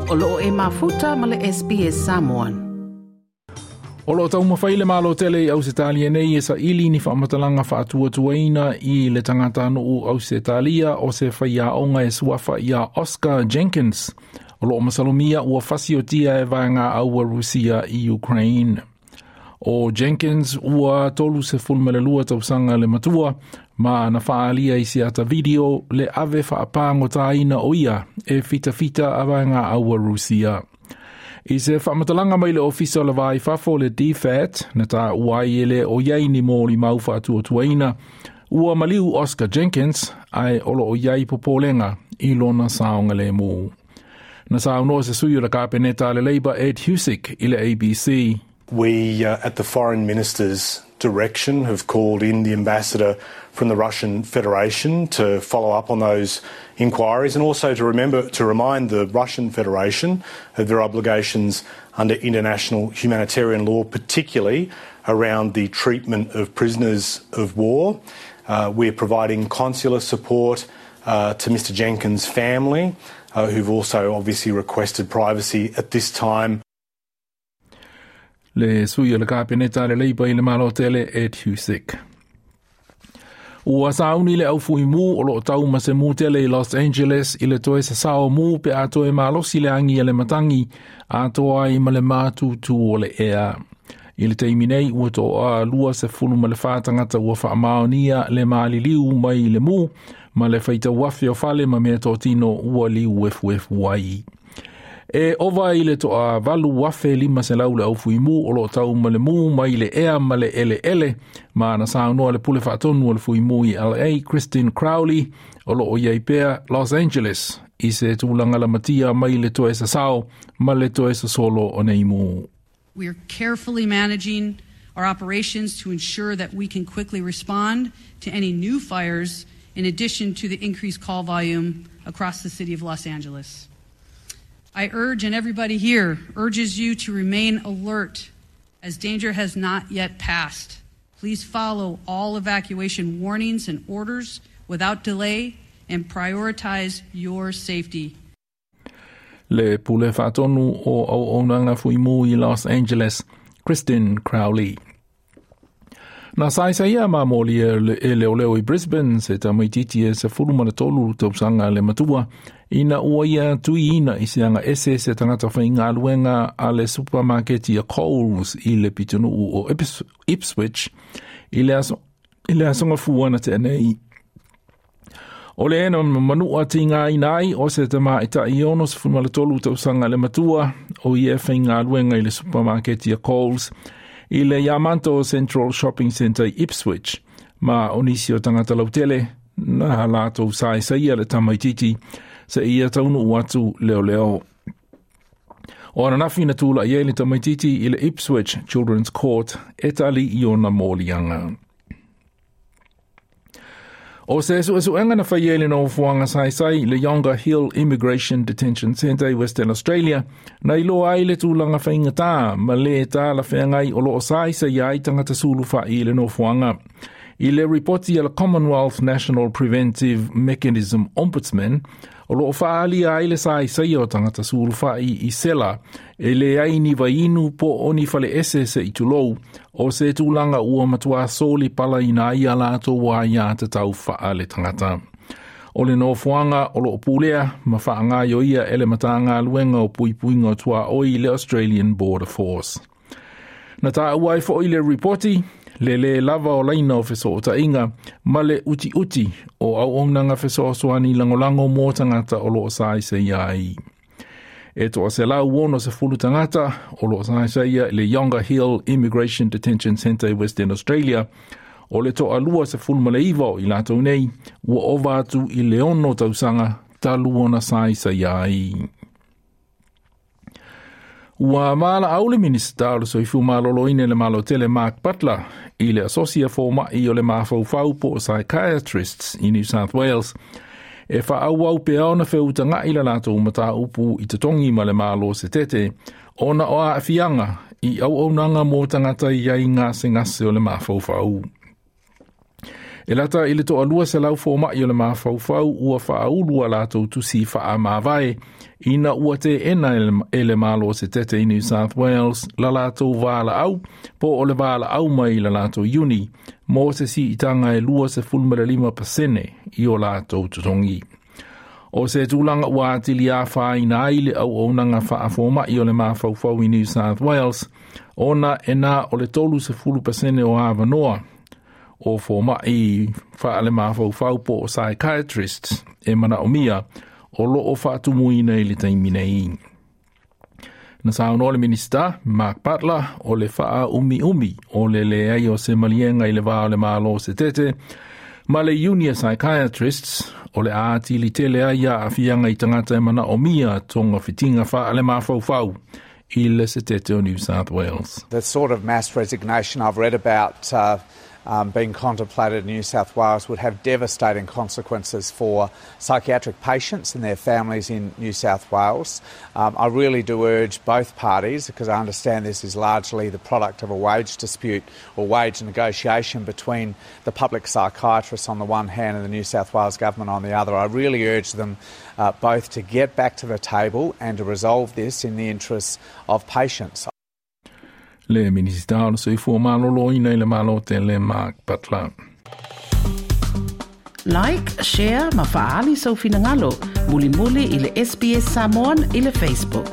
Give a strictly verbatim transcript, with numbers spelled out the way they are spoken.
O loo e mafuta ma le S B S Samoan. O lo taumafai le malo tele i Ausetalia nei e sa ili ni whamatalanga whaatuatuaina i le tangata nuu Ausetalia o se whaiaonga e suafa ia Oscar Jenkins. O lo masalomia ua fasiotia e vaenga aua Rusia i Ukraine. O Jenkins ua tolu se fulmelelua tausanga le matua, ma na whaalia i se ata video le ave whaapango tāina o ia e fita fita a vaenga aua Rusia. I se whamatalanga mai le ofisa o le vai fafo le D F A T, na tā uai ele o iai ni mōli mau whaatuatuaina, ua maliu Oscar Jenkins ai olo o iai popolenga i lona saonga le mō. Na saunoa se sui o le kapeneta le Labour Ed Husic i le A B C. We, uh, at the Foreign Minister's direction, have called in the ambassador from the Russian Federation to follow up on those inquiries and also to remember to remind the Russian Federation of their obligations under international humanitarian law, particularly around the treatment of prisoners of war. Uh, we're providing consular support, uh, to Mister Jenkins' family, uh, who've also obviously requested privacy at this time. Le sui o le kapeneta le Labour i le malo tele Ed Husic. Ua sauni le au fui mu o lo tau ma se mu tele i Los Angeles i le toe sa sao mu pe a toe malosi le angi a le matangi a toa i ma le mātūtū o le ea. I le teimi nei ua toa lua se fulu ma le whātangata ua whaamaonia le maaliliu mai le mu ma le whaita wafi o fale ma mea tōtino ua liu efu efu ai. E ova i le toa valu wafe lima se lau le au fui mu o lo tau ma le mu mai le ea ma le ele ele ma na saunoa le pule whaatonu o le fui mu i L A Christine Crowley o lo o iai pea Los Angeles i se tūlanga la matia mai le toe sa sao ma le toe sa solo o nei mu. We are carefully managing our operations to ensure that we can quickly respond to any new fires in addition to the increased call volume across the city of Los Angeles. I urge, and everybody here urges you to remain alert as danger has not yet passed. Please follow all evacuation warnings and orders without delay and prioritize your safety. Le pule whaatonu o au onanga fuimu i Los Angeles, Christine Crowley. Na saisa ma moli e leo leo i Brisbane se tamaititi e se fulu mana tolu tausanga le matua ina ua ia tui ina i se anga ese se tangata whainga aluenga a le supermarketi a Coles i le pitunuu o Ipswich i le aso, i le asonga fuana te nei. O le ena manua tinga inai o se tama i ta iono se fulu mana tolu tausanga le matua o ia whainga aluenga i le supermarketi a Coles i le Yamanto Central Shopping Centre i Ipswich, ma onisi o tangata lautele, na lātou sai saia le tamaititi, se ia taunu uatu leo leo. O ananafi na tūla i e le tamaititi i le Ipswich Children's Court, e tali i ona mōlianga. O se suesuenga na whai ele no fuanga sai sai le Yongah Hill Immigration Detention Centre i Western Australia, na ilo ai le tūlanga whainga tā, ma le tā la whangai o lo o sai sai ai tangata sulu whai le no fuanga. I le ripoti a le Commonwealth National Preventive Mechanism Ombudsman, o lo o whaali ai le sai sai o tangata sulu whai i sela, e le ai ni vainu po o ni whale ese se i tulou, o se tūlanga ua matua soli pala ina ia lātou wā ia te tau wha le tangata. O le nofoanga o lo o pulea, ma whaanga yo ia ele matanga luenga o puipuinga o tua oi le Australian Border Force. Na tā uai fo i le ripoti, le le lava o laina o feso o tainga, ma le uti uti o au onanga feso o soani langolango mō tangata o lo o sai se iai. E toa se lau wono se fulu tangata o lo o sai se ia le Yongah Hill Immigration Detention Centre i Western Australia, o le toa lua se fulu maleiva o i lātou nei, ua ova atu i le ono tausanga talu ona sai se iai. Ua maala au le minista o le soifu maloloine le malotele Mark Butler i le asosia fōma'i o le mafaufau po o psychiatrists i New South Wales. E whaau au pe aona wheutanga i la lātou mataupu i te tongi ma le malo se tete, ona o a whianga i au aunanga mō tangata i ai ngā se ngase o le mafaufau. E lata i le toalua selau fomaʻi o le mafaufau ua faaulu a latou tusi faamavae ina ua teena e le Malo Setete i New South Wales la latou valaau po o le valaau mai la latou iuni mo se siitaga e lua sefulu ma le lima pasene i o latou totogi. O se tulaga ua atili afaina ai le auaunaga faafomaʻi o le mafaufau i New South Wales ona e na o le tolu sefulu pasene o avanoa o fomaʻi faalemafaufau po o psychiatrists e manaʻomia o loo faatumuina i le taimi nei. Na saunoa le Minista Mark Butler o le faaumiumi o le leai o se maliega i le va o le Malo Setete ma le Iuni a Psychiatrists o le atili tele ai aafiaga i tagata e manaʻomia togafitiga faalemafaufau i le Setete o New South Wales. The sort of mass resignation I've read about uh, um, being contemplated in New South Wales would have devastating consequences for psychiatric patients and their families in New South Wales. Um, I really do urge both parties, because I understand this is largely the product of a wage dispute or wage negotiation between the public psychiatrists on the one hand and the New South Wales government on the other. I really urge them uh, both to get back to the table and to resolve this in the interests of patients. Le Minista o le Soifua Maloloina i le Malo Tele Mark Butler. Like, share ma faali sau finagalo. Mulimuli i le S B S Samoan i le Facebook.